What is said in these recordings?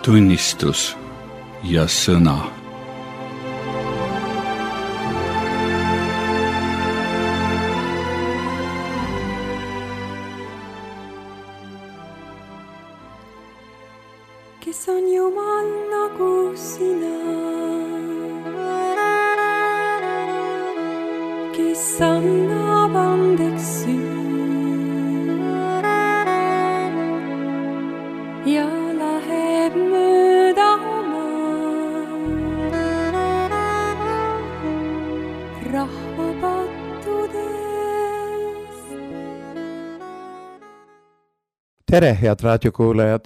tunnistus ja sõna. Kes on Jumal nagu sina, kes annab andeks süü ja läheb mööda oma rahva pattudes. Tere, head raadiokuulajad!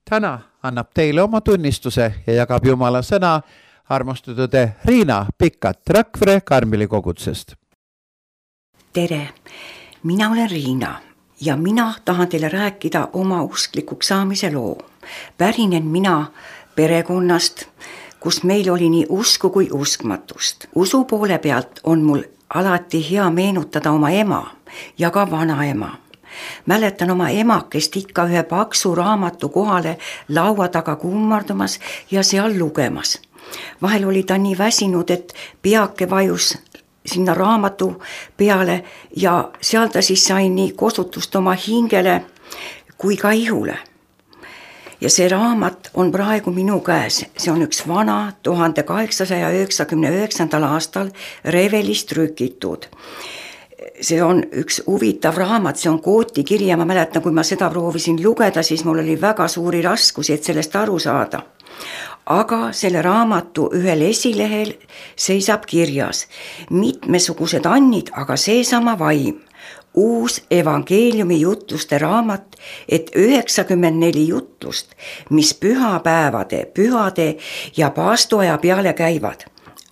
Täna annab teile oma tunnistuse ja jagab Jumala sõna armastatud Riina Pikkat Rakvere Karmeli kogutsest. Tere, mina olen Riina ja mina tahan teile rääkida oma usklikuks saamise loo. Pärinen mina perekonnast, kus meil oli nii usku kui uskmatust. Usu poole pealt on mul alati hea meenutada oma ema ja ka vanaema. Mäletan oma emakest ikka ühe paksu raamatu kohale laua taga kummardumas ja seal lugemas. Vahel oli ta nii väsinud, et peake vajus sinna raamatu peale ja seal ta siis sai nii kosutust oma hingele kui ka ihule. Ja see raamat on praegu minu käes. See on üks vana 1899. aastal Revelist trükitud. See on üks huvitav raamat, see on Kooti kiri ja ma mäletan, kui ma seda proovisin lugeda, siis mul oli väga suuri raskusi, et sellest aru saada. Aga selle raamatu ühel esilehel seisab kirjas mitmesugused annid, aga seesama vaim. Uus evangeeliumi jutluste raamat, et 94 jutlust, mis pühapäevade, pühade ja paastoaja peale käivad.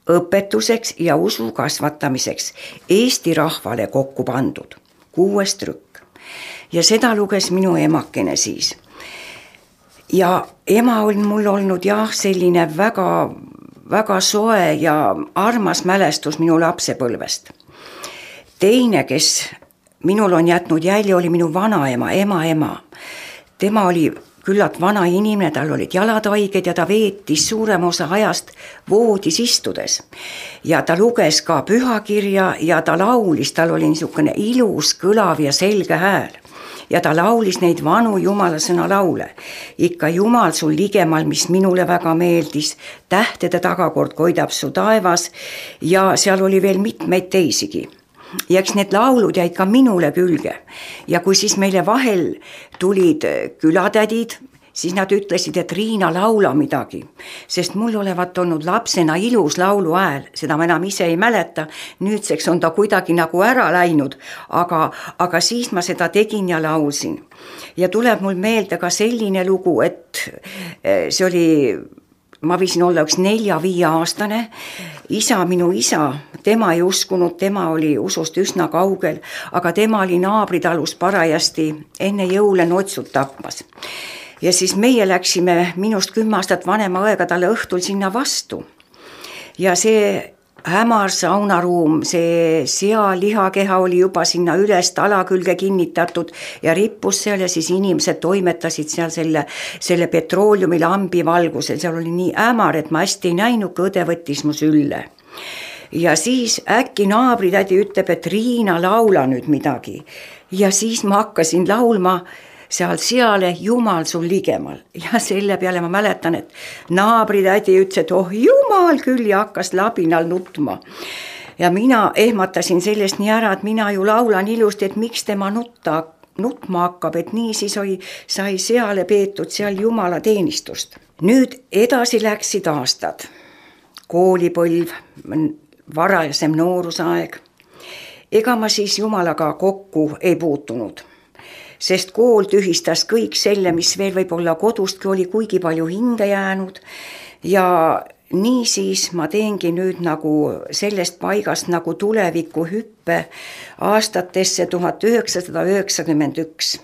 Õpetuseks ja usu kasvatamiseks Eesti rahvale kokku pandud 6 trükk. Ja seda luges minu emakene siis. Ja ema on mul olnud selline väga, väga soe ja armas mälestus minu lapsepõlvest. Teine, kes minul on jätnud jälje, oli minu vanaema, ema. Tema oli küllalt vana inimene, tal olid jalad haiged ja ta veetis suurem osa ajast voodis istudes. Ja ta luges ka pühakirja ja ta laulis, tal oli niisugune ilus, kõlav ja selge hääl. Ja ta laulis neid vanu Jumala sõna laule. Ikka Jumal sul ligemal, mis minule väga meeldis, tähtede tagakord koidab su taevas ja seal oli veel mitmeid teisigi. Ja eks need laulud jäid ka minule külge. Ja kui siis meile vahel tulid külatädid, siis nad ütlesid, et Riina laula midagi. Sest mul olevat olnud lapsena ilus laulu hääl, seda ma enam ise ei mäleta. Nüüdseks on ta kuidagi nagu ära läinud, aga siis ma seda tegin ja laulsin. Ja tuleb mul meelde ka selline lugu, et see oli... Ma võisin olla üks 4-5 aastane, minu isa, tema ei uskunud, tema oli usust üsna kaugel, aga tema oli naabritalus parajasti enne jõule notsud tapmas. Ja siis meie läksime minust 10 aastat vanema õega talle õhtul sinna vastu. Ja see hämar saunaruum, see sealihakeha oli juba sinna üles tala külge kinnitatud ja rippus seal ja siis inimesed toimetasid seal selle petrooliumi lambi valgusel. Seal oli nii hämar, et ma hästi ei näinud, kui õde võttis mu sülle. Ja siis äkki naabritädi ütleb, et Riina, laula nüüd midagi. Ja siis ma hakkasin laulma seale Jumal sul ligemal. Ja selle peale ma mäletan, et naabritädi ütles, et oh Jumal küll ja hakkas labinal nutma. Ja mina ehmatasin sellest nii ära, et mina ju laulan ilusti, et miks tema nutma hakkab, et nii siis sai seale peetud seal Jumala teenistust. Nüüd edasi läksid aastad. Koolipõlv, varasem noorusaeg. Ega ma siis Jumalaga kokku ei puutunud. Sest kool tühistas kõik selle, mis veel võib-olla kodustki oli kuigi palju hinge jäänud ja nii siis ma teengi nüüd nagu sellest paigast nagu tuleviku hüppe aastatesse 1991.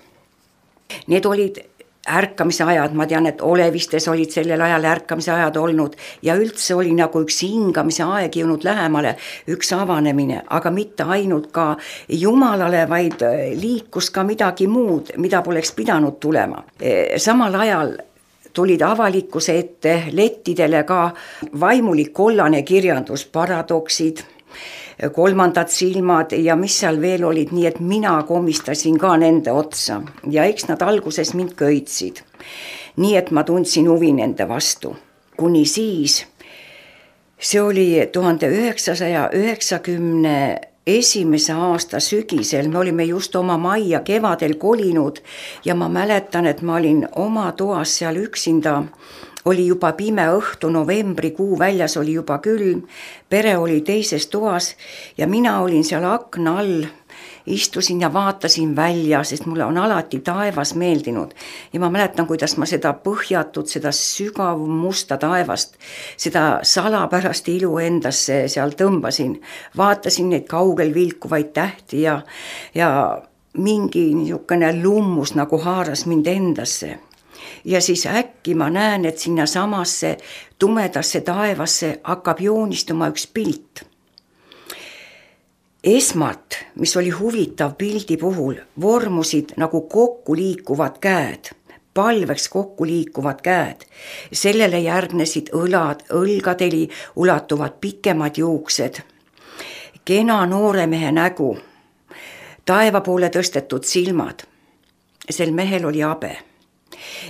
Need olid ärkamise ajad, ma tean, et Olevistes olid sellel ajal ärkamise ajad olnud ja üldse oli nagu üks hingamise aeg jõudnud lähemale, üks avanemine, aga mitte ainult ka Jumalale, vaid liikus ka midagi muud, mida poleks pidanud tulema. Samal ajal tulid avalikkuse ette lettidele ka vaimulik kollane kirjandus, paradoksid, kolmandad silmad ja mis seal veel olid, nii et mina komistasin ka nende otsa ja eks nad alguses mind köitsid. Nii et ma tundsin huvi nende vastu. Kuni siis, see oli 1991. aasta sügisel, me olime just oma majja kevadel kolinud ja ma mäletan, et ma olin oma toas seal üksinda. Oli juba pime õhtu, novembrikuu, väljas oli juba külm, pere oli teises toas ja mina olin seal akna all, istusin ja vaatasin välja, sest mulle on alati taevas meeldinud. Ja ma mäletan, kuidas ma seda põhjatut, seda sügav musta taevast, seda salapärast ilu endasse seal tõmbasin. Vaatasin neid kaugel vilkuvaid tähti ja mingi niisugune lummus nagu haaras mind endasse. Ja siis äkki ma näen, et sinna samasse tumedasse taevasse hakkab joonistuma üks pilt. Esmalt, mis oli huvitav pildi puhul, vormusid nagu kokku liikuvad käed, palveks kokku liikuvad käed. Sellele järgnesid õlad, õlgadeli ulatuvad pikemad juuksed, kena noore mehe nägu, taeva poole tõstetud silmad. Sel mehel oli habe.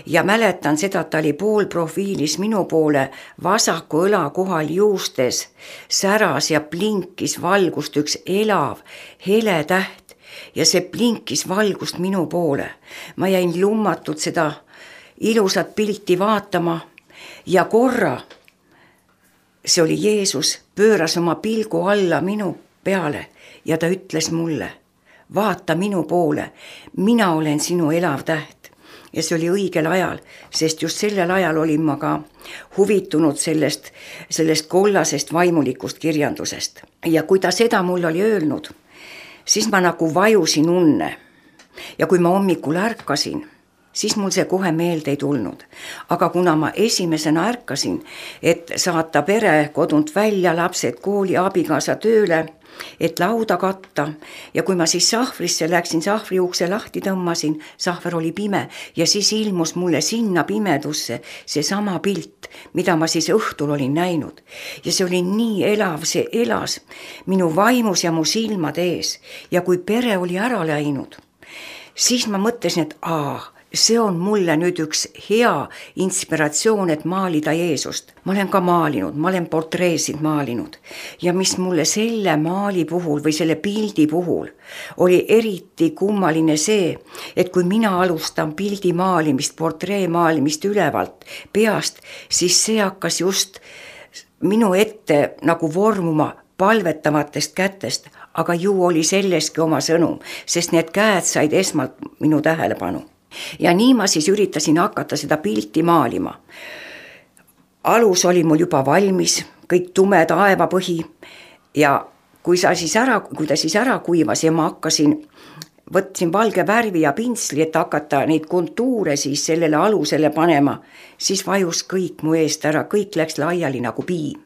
Ja mäletan seda, et ta oli poolprofiilis minu poole, vasaku õla kohal juustes, säras ja blinkis valgust üks elav, hele täht ja see blinkis valgust minu poole. Ma jäin lummatult seda ilusat pilti vaatama ja korra, see oli Jeesus, pööras oma pilgu alla minu peale ja ta ütles mulle, vaata minu poole, mina olen sinu elav täht. Ja see oli õigel ajal, sest just sellel ajal olin ma ka huvitunud sellest kollasest vaimulikust kirjandusest. Ja kui ta seda mul oli öelnud, siis ma nagu vajusin unne. Ja kui ma hommikul ärkasin, siis mul see kohe meelde ei tulnud. Aga kuna ma esimesena ärkasin, et saata pere kodunt välja, lapsed kooli, abikaasa tööle, et lauda katta ja kui ma siis sahvrisse läksin, sahvri ukse lahti tõmmasin, sahver oli pime ja siis ilmus mulle sinna pimedusse see sama pilt, mida ma siis õhtul olin näinud. Ja see oli nii elav, see elas minu vaimus ja mu silmade ees ja kui pere oli ära läinud, siis ma mõtlesin, et see on mulle nüüd üks hea inspiratsioon, et maalida Jeesust. Ma olen ka maalinud, ma olen portreesid maalinud ja mis mulle selle maali puhul või selle pildi puhul oli eriti kummaline see, et kui mina alustan pildi maalimist, portree maalimist ülevalt peast, siis see hakkas just minu ette nagu vormuma palvetavatest kätest, aga ju oli selleski oma sõnum, sest need käed said esmalt minu tähelepanu. Ja nii ma siis üritasin hakata seda pilti maalima. Alus oli mul juba valmis, kõik tume taevapõhi ja kui ta siis ära kuivas ja ma võtsin valge värvi ja pintsli, et hakata neid kontuure siis sellele alusele panema, siis vajus kõik mu eest ära, kõik läks laiali nagu piim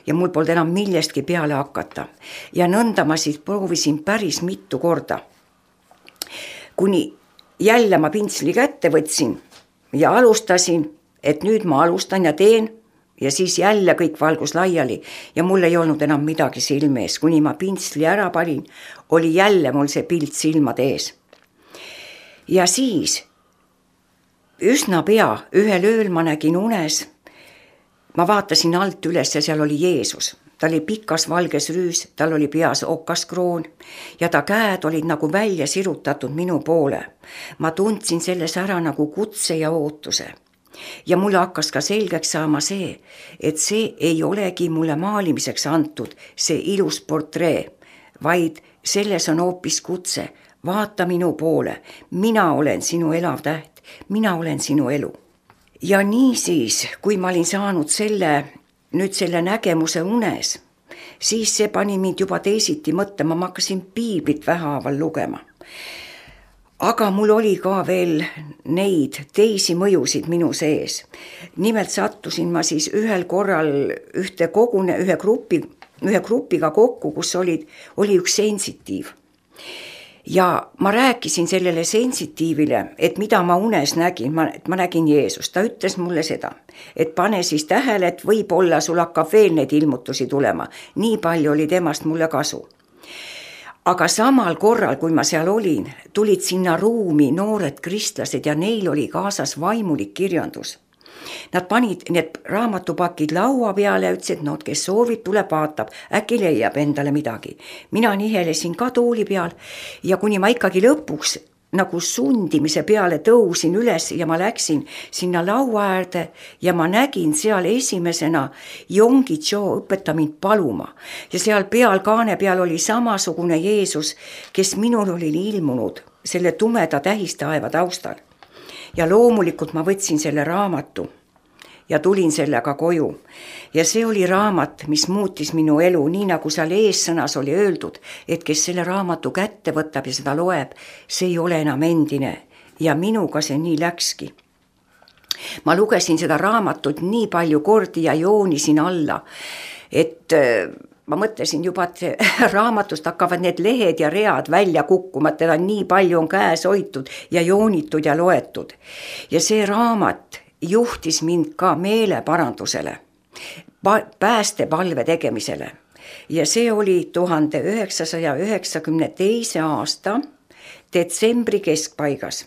ja mul polnud enam millestki peale hakata. Ja nõnda ma siis proovisin päris mitu korda, kuni jälle ma pintsli kätte võtsin ja alustasin, et nüüd ma alustan ja teen ja siis jälle kõik valgus laiali ja mul ei olnud enam midagi silme ees. Kuni ma pintsli ära panin, oli jälle mul see pilt silmade ees. Ja siis üsna pea ühel ööl ma nägin unes, ma vaatasin alt üles ja seal oli Jeesus. Ta oli pikas valges rüüs, tal oli peas okaskroon ja ta käed olid nagu välja sirutatud minu poole. Ma tundsin selles ära nagu kutse ja ootuse. Ja mulle hakkas ka selgeks saama see, et see ei olegi mulle maalimiseks antud, see ilus portree, vaid selles on hoopis kutse. Vaata minu poole, mina olen sinu elav täht, mina olen sinu elu. Ja nii siis, kui ma olin saanud selle nägemuse unes, siis see pani mind juba teisiti mõtlema, ma hakkasin piiblit vähehaaval lugema. Aga mul oli ka veel neid teisi mõjusid minu sees. Nimelt sattusin ma siis ühel korral ühe grupiga kokku, kus oli üks sensitiiv. ja ma rääkisin sellele sensitiivile, et mida ma unes nägin, ma nägin Jeesust. Ta ütles mulle seda, et pane siis tähele, et võib-olla sul hakkab veel neid ilmutusi tulema. Nii palju oli temast mulle kasu. Aga samal korral, kui ma seal olin, tulid sinna ruumi noored kristlased ja neil oli kaasas vaimulik kirjandus. Nad panid need raamatupakid laua peale ja ütlesid, no kes soovib, tuleb vaatab, äkki leiab endale midagi. Mina nihelesin ka tooli peal ja kuni ma ikkagi lõpuks nagu sundimise peale tõusin üles ja ma läksin sinna laua äärde ja ma nägin seal esimesena Yonggi Cho õpeta mind paluma. Ja seal peal, kaane peal oli samasugune Jeesus, kes minul oli ilmunud selle tumeda tähistaeva taustal. Ja loomulikult ma võtsin selle raamatu ja tulin sellega koju. Ja see oli raamat, mis muutis minu elu, nii nagu seal eessõnas oli öeldud, et kes selle raamatu kätte võtab ja seda loeb, see ei ole enam endine. Ja minuga see nii läkski. Ma lugesin seda raamatut nii palju kordi ja joonisin alla, et ma mõtlesin juba, et raamatust hakkavad need lehed ja read välja kukkuma, teda nii palju on käes hoitud ja joonitud ja loetud. Ja see raamat juhtis mind ka meeleparandusele, päästepalve tegemisele. Ja see oli 1992. aasta detsembri keskpaigas.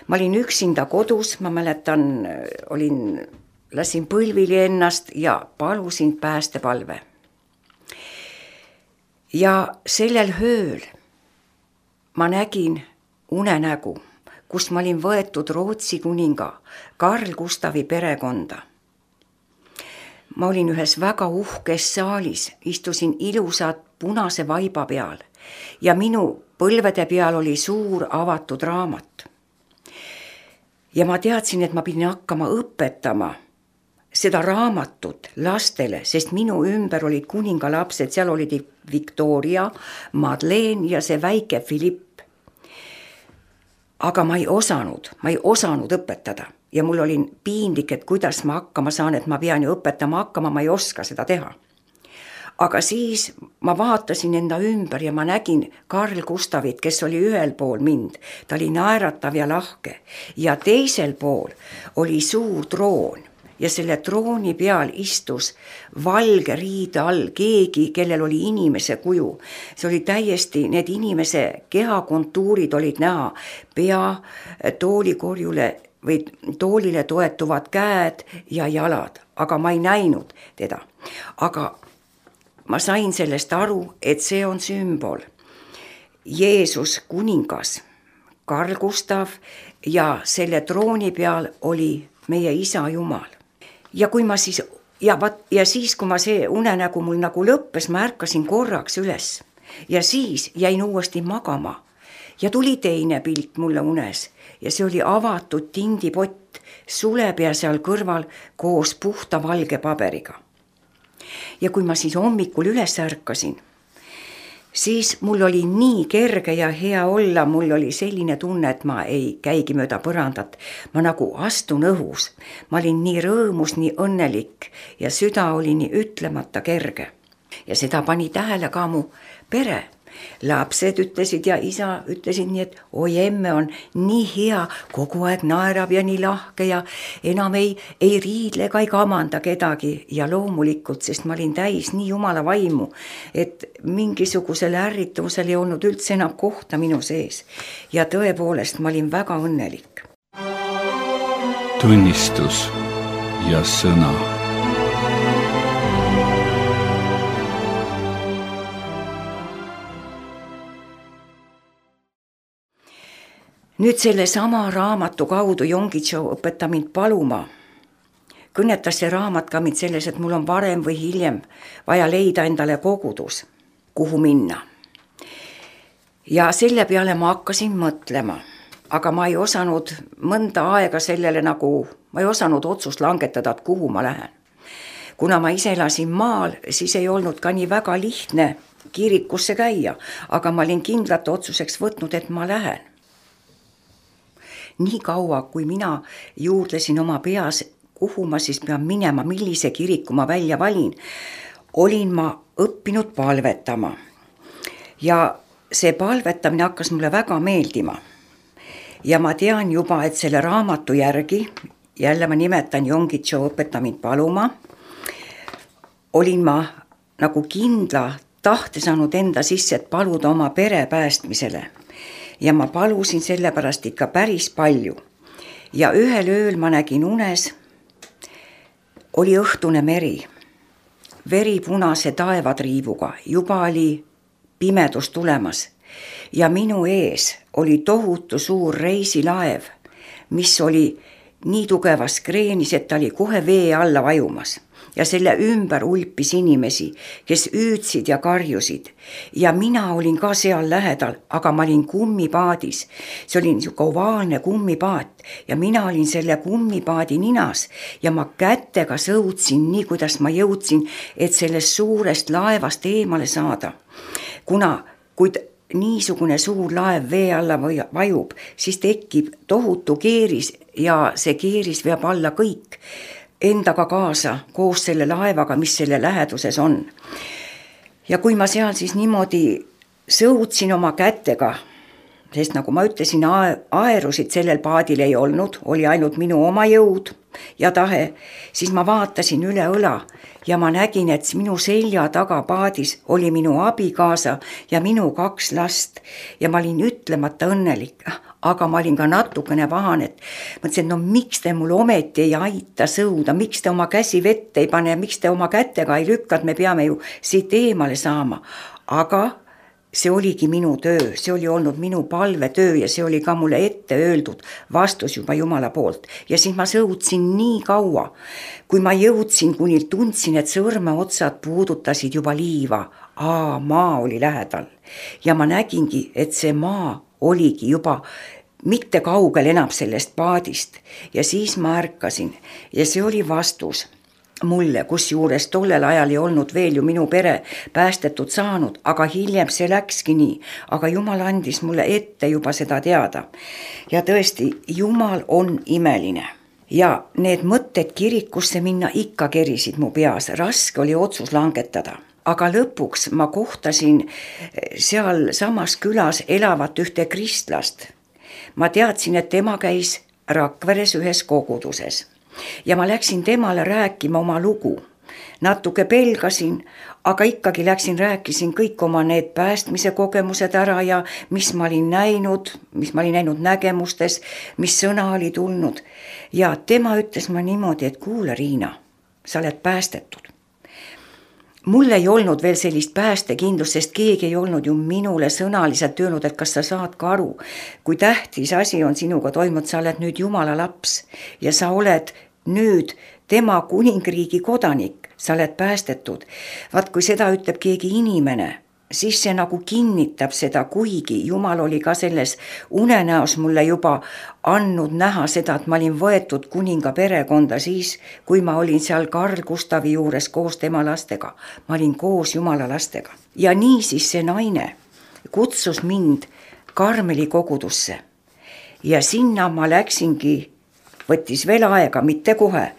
Ma olin üksinda kodus, ma mäletan, lasin põlvili ennast ja palusin päästepalve. Ja sellel ööl ma nägin unenägu, kus ma olin võetud Rootsi kuninga Carl Gustavi perekonda. Ma olin ühes väga uhkes saalis, istusin ilusat punase vaiba peal ja minu põlvede peal oli suur avatud raamat. Ja ma teadsin, et ma pidin hakkama õpetama seda raamatut lastele, sest minu ümber olid kuningalapsed, seal olid Victoria, Madeleine ja see väike Philipp. Aga ma ei osanud õpetada ja mul oli piinlik, et kuidas ma hakkama saan, et ma pean ju õpetama hakkama, ma ei oska seda teha. Aga siis ma vaatasin enda ümber ja ma nägin Carl Gustavit, kes oli ühel pool mind, ta oli naeratav ja lahke ja teisel pool oli suur troon. Ja selle trooni peal istus valge riide all keegi, kellel oli inimese kuju. See oli täiesti, need inimese kehakontuurid olid näha, pea, toolikorjule või toolile toetuvad käed ja jalad, aga ma ei näinud teda. Aga ma sain sellest aru, et see on sümbol. Jeesus kuningas, Carl Gustav ja selle trooni peal oli meie isa Jumal. Ja kui ma siis, kui ma see unenägu mul nagu lõppes, ma ärkasin korraks üles ja siis jäin uuesti magama ja tuli teine pilt mulle unes ja see oli avatud tindipott, sulepea seal kõrval koos puhta valge paberiga. Ja kui ma siis hommikul üles ärkasin, siis mul oli nii kerge ja hea olla, mul oli selline tunne, et ma ei käigi mööda põrandat, ma nagu astun õhus, ma olin nii rõõmus, nii õnnelik ja süda oli nii ütlemata kerge. Ja seda pani tähele ka mu pere. Lapsed ütlesid ja isa ütlesid nii, et oi emme on nii hea, kogu aeg naerab ja nii lahke ja enam ei riidle ega ei kamanda kedagi ja loomulikult, sest ma olin täis nii Jumala vaimu, et mingisugusel ärrituvusel ei olnud üldse enam kohta minu sees ja tõepoolest ma olin väga õnnelik. Tunnistus ja sõna. Nüüd selle sama raamatu kaudu Yonggi Cho õpeta mind paluma. Kõnetas see raamat ka mind selles, et mul on varem või hiljem vaja leida endale kogudus, kuhu minna. Ja selle peale ma hakkasin mõtlema, aga ma ei osanud mõnda aega sellele ma ei osanud otsust langetada, et kuhu ma lähen. Kuna ma ise elasin maal, siis ei olnud ka nii väga lihtne kirikusse käia, aga ma olin kindlalt otsuseks võtnud, et ma lähen. Nii kaua, kui mina juurdlesin oma peas, kuhu ma siis pean minema, millise kiriku ma välja valin, olin ma õppinud palvetama. Ja see palvetamine hakkas mulle väga meeldima. Ja ma tean juba, et selle raamatu järgi, jälle ma nimetan Yonggi-cho Õpeta mind paluma, olin ma nagu kindla tahte saanud enda sisse, et paluda oma pere päästmisele. Ja ma palusin sellepärast ikka päris palju. Ja ühel ööl ma nägin unes, oli õhtune meri, veripunase taevatriibuga, juba oli pimedus tulemas ja minu ees oli tohutu suur reisilaev, mis oli nii tugevas kreenis, et ta oli kohe vee alla vajumas ja selle ümber ulpis inimesi, kes hüüdsid ja karjusid ja mina olin ka seal lähedal, aga ma olin kummipaadis. See oli niisugune ovaalne kummipaat ja mina olin selle kummipaadi ninas ja ma kätega sõudsin nii, kuidas ma jõudsin, et sellest suurest laevast eemale saada. Kuna kui niisugune suur laev vee alla vajub, siis tekib tohutu keeris ja see keeris veab alla kõik endaga kaasa koos selle laevaga, mis selle läheduses on. Ja kui ma seal siis niimoodi sõudsin oma kätega, sest nagu ma ütlesin, aerusid sellel paadil ei olnud, oli ainult minu oma jõud ja tahe, siis ma vaatasin üle õla ja ma nägin, et minu selja taga paadis oli minu abikaasa ja minu 2 last ja ma olin ütlemata õnnelik, aga ma olin ka natukene pahane, et mõtlesin, et no miks te mul ometi ei aita sõuda, miks te oma käsi vette ei pane, miks te oma kätega ei lükka, et me peame ju siit eemale saama, aga see oligi minu töö, see oli olnud minu palvetöö ja see oli ka mulle ette öeldud vastus juba Jumala poolt. Ja siis ma sõudsin nii kaua, kui ma jõudsin, kuni tundsin, et sõrmeotsad puudutasid juba liiva. Maa oli lähedal ja ma nägingi, et see maa oligi juba mitte kaugel enam sellest paadist ja siis ma ärkasin ja see oli vastus mulle, kus juures tollel ajal ei olnud veel ju minu pere päästetud saanud, aga hiljem see läkski nii, aga Jumal andis mulle ette juba seda teada. Ja tõesti, Jumal on imeline ja need mõtted kirikusse minna ikka kerisid mu peas, raske oli otsus langetada. Aga lõpuks ma kohtasin seal samas külas elavat ühte kristlast. Ma teadsin, et tema käis Rakveres ühes koguduses. Ja ma läksin temale rääkima oma lugu. Natuke pelgasin, aga ikkagi rääkisin kõik oma need päästmise kogemused ära ja mis ma olin näinud nägemustes, mis sõna oli tulnud. Ja tema ütles ma niimoodi, et kuule Riina, sa oled päästetud. Mul ei olnud veel sellist päästekindlust, sest keegi ei olnud ju minule sõnaliselt öelnud, et kas sa saad ka aru, kui tähtis asi on sinuga toimunud, sa oled nüüd Jumala laps ja sa oled nüüd tema kuningriigi kodanik, sa oled päästetud. Vaat kui seda ütleb keegi inimene, siis see nagu kinnitab seda, kuigi Jumal oli ka selles unenäos mulle juba andnud näha seda, et ma olin võetud kuninga perekonda siis, kui ma olin seal Karl Gustavi juures koos tema lastega. Ma olin koos Jumala lastega. Ja nii siis see naine kutsus mind Karmeli kogudusse. Ja sinna ma läksingi, võttis veel aega, mitte kohe,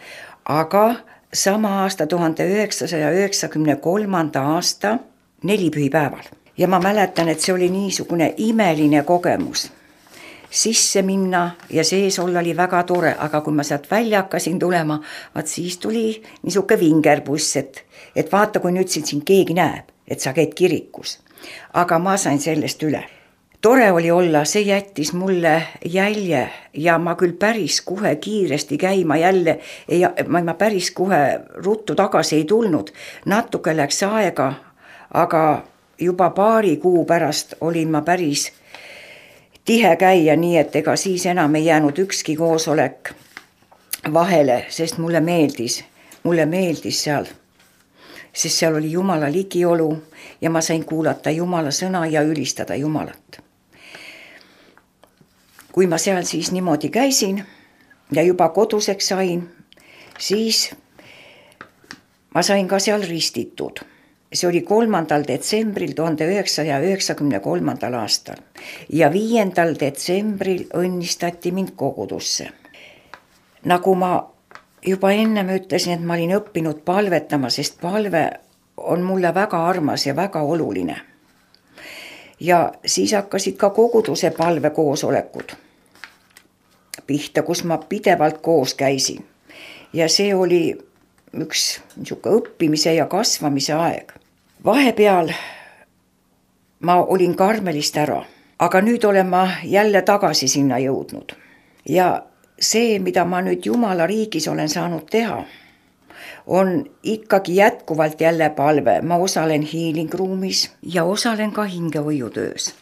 aga sama aasta 1993. aasta 4 pühipäeval. Ja ma mäletan, et see oli niisugune imeline kogemus. Sisse minna ja sees olla oli väga tore, aga kui ma sealt välja hakkasin tulema, vaat siis tuli niisugune vingerbuss, et vaata, kui nüüd siin keegi näeb, et sa käid kirikus. Aga ma sain sellest üle. Tore oli olla, see jättis mulle jälje ja ma küll päris kohe kiiresti käima jälle, ma päris kohe ruttu tagasi ei tulnud. Natuke läks aega, aga juba 2 kuu pärast olin ma päris tihe käia, nii et ega siis enam ei jäänud ükski koosolek vahele, sest mulle meeldis seal, sest seal oli Jumala ligiolu ja ma sain kuulata Jumala sõna ja ülistada Jumalat. Kui ma seal siis niimoodi käisin ja juba koduseks sain, siis ma sain ka seal ristitud. See oli 3. detsembril 1993. aastal ja 5. detsembril õnnistati mind kogudusse. Nagu ma juba ennem ütlesin, et ma olin õppinud palvetama, sest palve on mulle väga armas ja väga oluline. Ja siis hakkasid ka koguduse palvekoosolekud pihta, kus ma pidevalt koos käisin. Ja see oli üks niisugune õppimise ja kasvamise aeg. Vahepeal ma olin Karmelist ära, aga nüüd olen ma jälle tagasi sinna jõudnud. Ja see, mida ma nüüd Jumala riigis olen saanud teha, on ikkagi jätkuvalt jälle palve. Ma osalen healing ruumis ja osalen ka hingevõiutöös.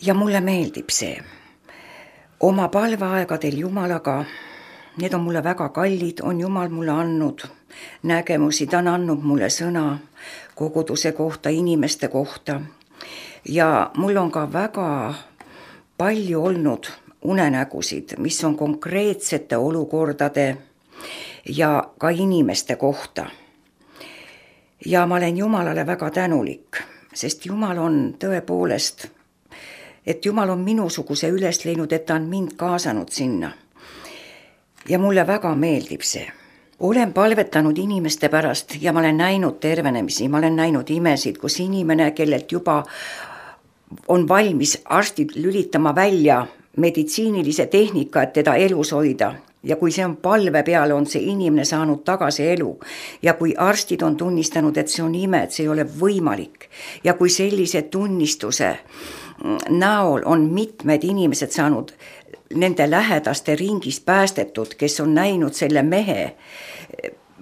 Ja mulle meeldib see. Oma palveaegadel Jumalaga, need on mulle väga kallid, on Jumal mulle andnud nägemusi, ta on andnud mulle sõna koguduse kohta, inimeste kohta. Ja mul on ka väga palju olnud unenägusid, mis on konkreetsete olukordade ja ka inimeste kohta. Ja ma olen Jumalale väga tänulik, sest Jumal on tõepoolest, et Jumal on minusuguse üles leidnud, et ta on mind kaasanud sinna. Ja mulle väga meeldib see. Olen palvetanud inimeste pärast ja ma olen näinud tervenemisi, ma olen näinud imesid, kus inimene, kellelt juba on valmis arstid lülitama välja meditsiinilise tehnika, et teda elus hoida. Ja kui see on palve peale, on see inimene saanud tagasi elu. Ja kui arstid on tunnistanud, et see on ime, et see ei ole võimalik. Ja kui sellise tunnistuse näol on mitmed inimesed saanud nende lähedaste ringis päästetud, kes on näinud selle mehe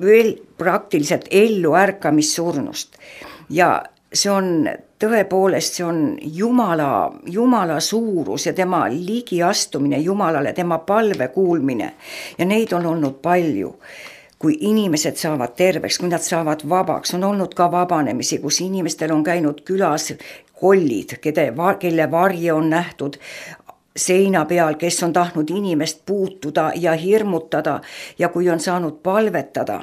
veel praktiliselt ellu ärkamissurnust. Ja see on tõepoolest, see on Jumala suurus ja tema ligiastumine Jumalale, tema palve kuulmine. Ja neid on olnud palju. Kui inimesed saavad terveks, kui nad saavad vabaks, on olnud ka vabanemisi, kus inimestel on käinud külas kollid, kelle varje on nähtud seina peal, kes on tahtnud inimest puutuda ja hirmutada ja kui on saanud palvetada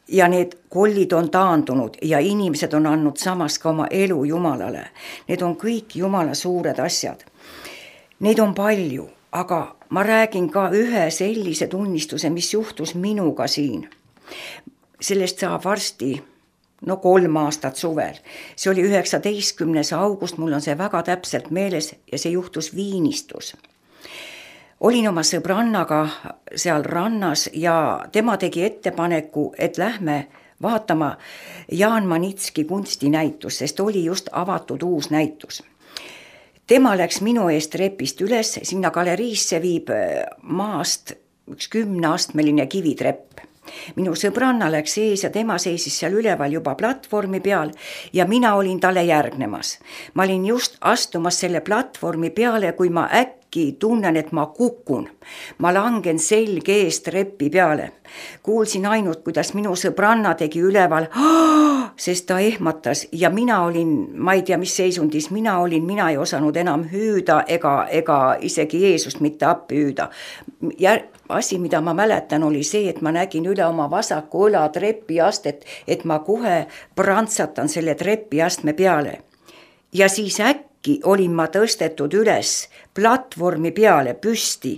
ja need kollid on taandunud ja inimesed on andnud samas ka oma elu Jumalale. Need on kõik Jumala suured asjad. Neid on palju, aga ma räägin ka ühe sellise tunnistuse, mis juhtus minuga siin. Sellest saab varsti 3 aastat suvel. See oli 19. august, mul on see väga täpselt meeles ja see juhtus Viinistus. Olin oma sõbrannaga seal rannas ja tema tegi ettepaneku, et lähme vaatama Jaan Manitski kunstinäitus, sest oli just avatud uus näitus. Tema läks minu eest trepist üles, sinna galeriisse viib maast üks 10-astmeline kivitrepp. Minu sõbranna läks ees ja tema seisis seal üleval juba platvormi peal ja mina olin talle järgnemas. Ma olin just astumas selle platvormi peale, kui ma äkki tunnen, et ma kukun. Ma langen selge eest trepi peale. Kuulsin ainult, kuidas minu sõbranna tegi üleval, sest ta ehmatas ja mina olin, ma ei tea, mis seisundis mina ei osanud enam hüüda ega isegi Jeesust mitte appi hüüda. Asi, mida ma mäletan, oli see, et ma nägin üle oma vasaku õla trepiastet, et ma kohe prantsatan selle trepiastme peale. Ja siis äkki olin ma tõstetud üles platvormi peale püsti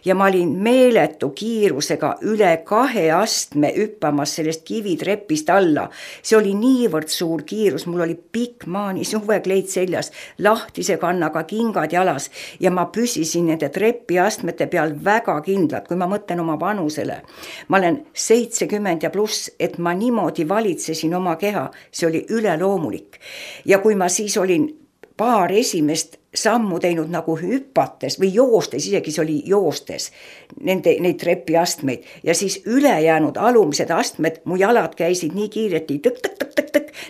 ja ma olin meeletu kiirusega üle 2 astme hüppamas sellest kivitrepist alla. See oli niivõrd suur kiirus, mul oli pikk maani suvekleit seljas, lahtise kannaga kingad jalas ja ma püsisin nende trepiastmete peal väga kindlalt, kui ma mõtlen oma vanusele. Ma olen 70 ja pluss, et ma niimoodi valitsesin oma keha, see oli üleloomulik. Ja kui ma siis olin paar esimest sammu teinud nagu hüpates või joostes, isegi see oli joostes, neid trepiastmeid ja siis ülejäänud alumised astmed, mu jalad käisid nii kiireti tõk,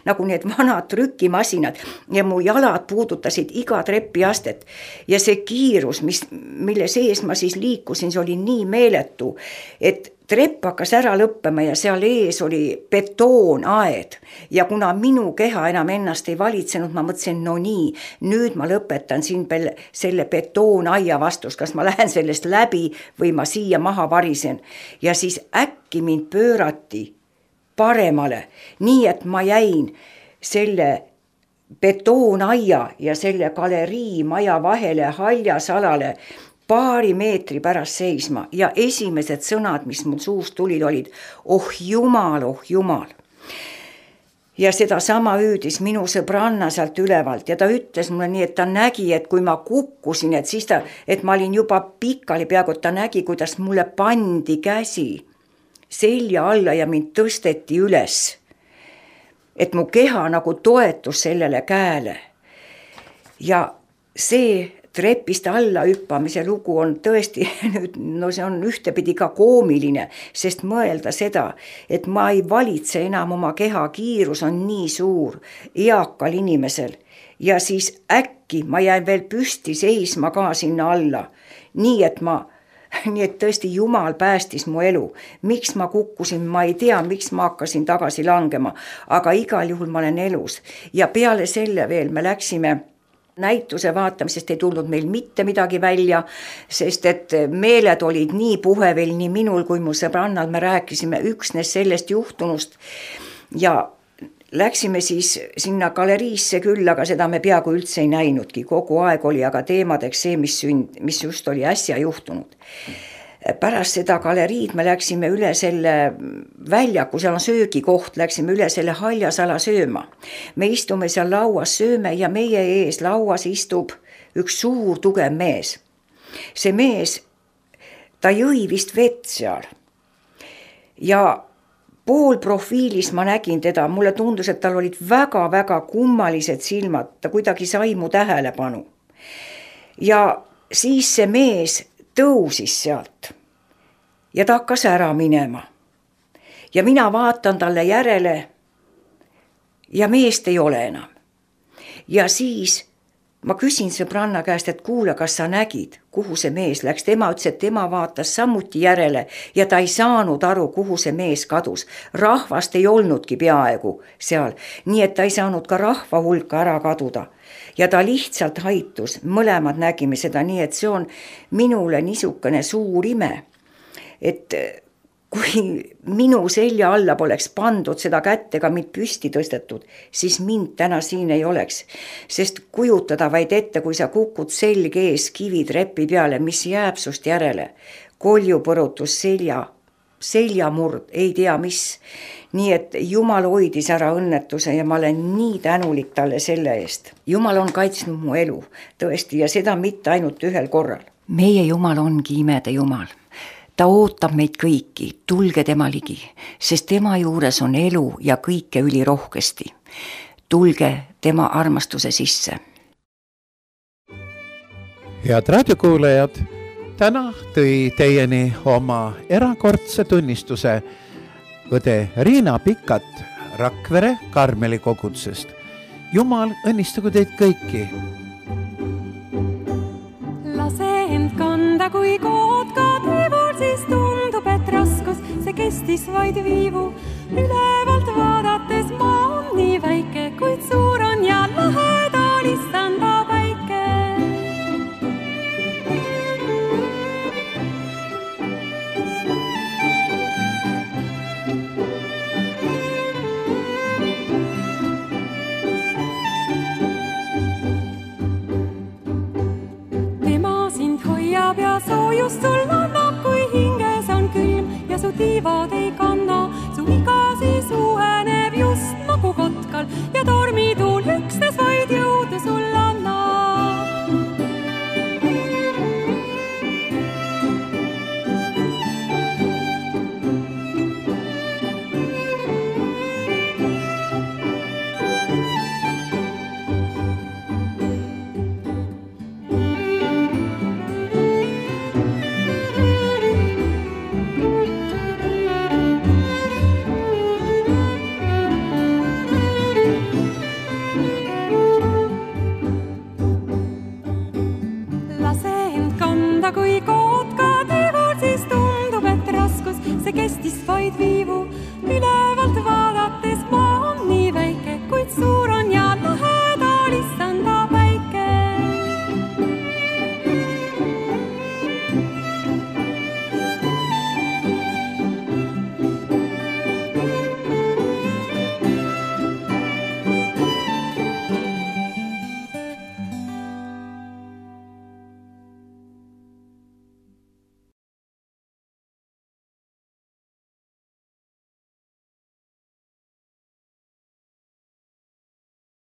nagu need vanad trükimasinad ja mu jalad puudutasid iga trepiastet ja see kiirus, mille sees ma siis liikusin, see oli nii meeletu, et trepp hakkas ära lõppema ja seal ees oli betoonaed ja kuna minu keha enam ennast ei valitsenud, ma mõtlesin, no nii, nüüd ma lõpetan siin selle betoonaia vastus, kas ma lähen sellest läbi või ma siia maha varisen ja siis äkki mind pöörati paremale, nii et ma jäin selle betoonaia ja selle galerii maja vahele haljasalale paari meetri pärast seisma ja esimesed sõnad, mis mul suust tulid, olid oh jumal. ja seda sama hüüdis minu sõbranna sealt ülevalt ja ta ütles mulle nii, et ta nägi, et kui ma kukkusin, et ma olin juba pikali peaaegu, et ta nägi, kuidas mulle pandi käsi selja alla ja mind tõsteti üles. Et mu keha nagu toetus sellele käele. Ja see trepist alla hüppamise lugu on tõesti, see on ühtepidi ka koomiline, sest mõelda seda, et ma ei valitse enam oma keha, kiirus on nii suur eakal inimesel ja siis äkki ma jäin veel püsti seisma ka sinna alla, nii et tõesti Jumal päästis mu elu. Miks ma kukkusin, ma ei tea, miks ma hakkasin tagasi langema, aga igal juhul ma olen elus ja peale selle veel me läksime näituse vaatamisest, ei tulnud meil mitte midagi välja, sest et meeled olid nii puhevel nii minul kui mu sõbrannal, me rääkisime üksnes sellest juhtunust ja läksime siis sinna galeriisse küll, aga seda me peaaegu üldse ei näinudki, kogu aeg oli aga teemadeks see, mis just oli äsja juhtunud. Pärast seda galeriid me läksime üle selle väljaku, seal on söögikoht, läksime üle selle Haljasala sööma. Me istume seal lauas, sööme ja meie ees lauas istub üks suur tugev mees. See mees, ta jõi vist vett seal ja poolprofiilis ma nägin teda, mulle tundus, et tal olid väga-väga kummalised silmad, ta kuidagi sai mu tähelepanu. Ja siis see mees tõusis sealt ja ta hakkas ära minema. Ja mina vaatan talle järele ja meest ei ole enam. Ja siis ma küsin sõbranna käest, et kuule, kas sa nägid, kuhu see mees läks. Tema ütles, et tema vaatas samuti järele ja ta ei saanud aru, kuhu see mees kadus. Rahvast ei olnudki peaaegu seal, nii et ta ei saanud ka rahva hulka ära kaduda. Ja ta lihtsalt haitus, mõlemad nägime seda, nii et see on minule niisugune suur ime, et kui minu selja alla poleks pandud seda kätt ega mind püsti tõstetud, siis mind täna siin ei oleks, sest kujutada vaid ette, kui sa kukud selg ees kivitrepi peale, mis jääb sust järele, koljupõrutus seljamurd, ei tea mis. Nii et Jumal hoidis ära õnnetuse ja ma olen nii tänulik talle selle eest. Jumal on kaitsnud mu elu, tõesti, ja seda mitte ainult ühel korral. Meie Jumal ongi imede Jumal. Ta ootab meid kõiki, tulge tema ligi, sest tema juures on elu ja kõike ülirohkesti. Tulge tema armastuse sisse. Head raadiokuulajad, täna tõi teieni oma erakordse tunnistuse õde Riina Pikkat Rakvere Karmeli kogudusest. Jumal õnnistagu teid kõiki. Lase end kanda, kui kood ka teeval, siis tundub, et raskus, see kestis vaid viivu ülevalt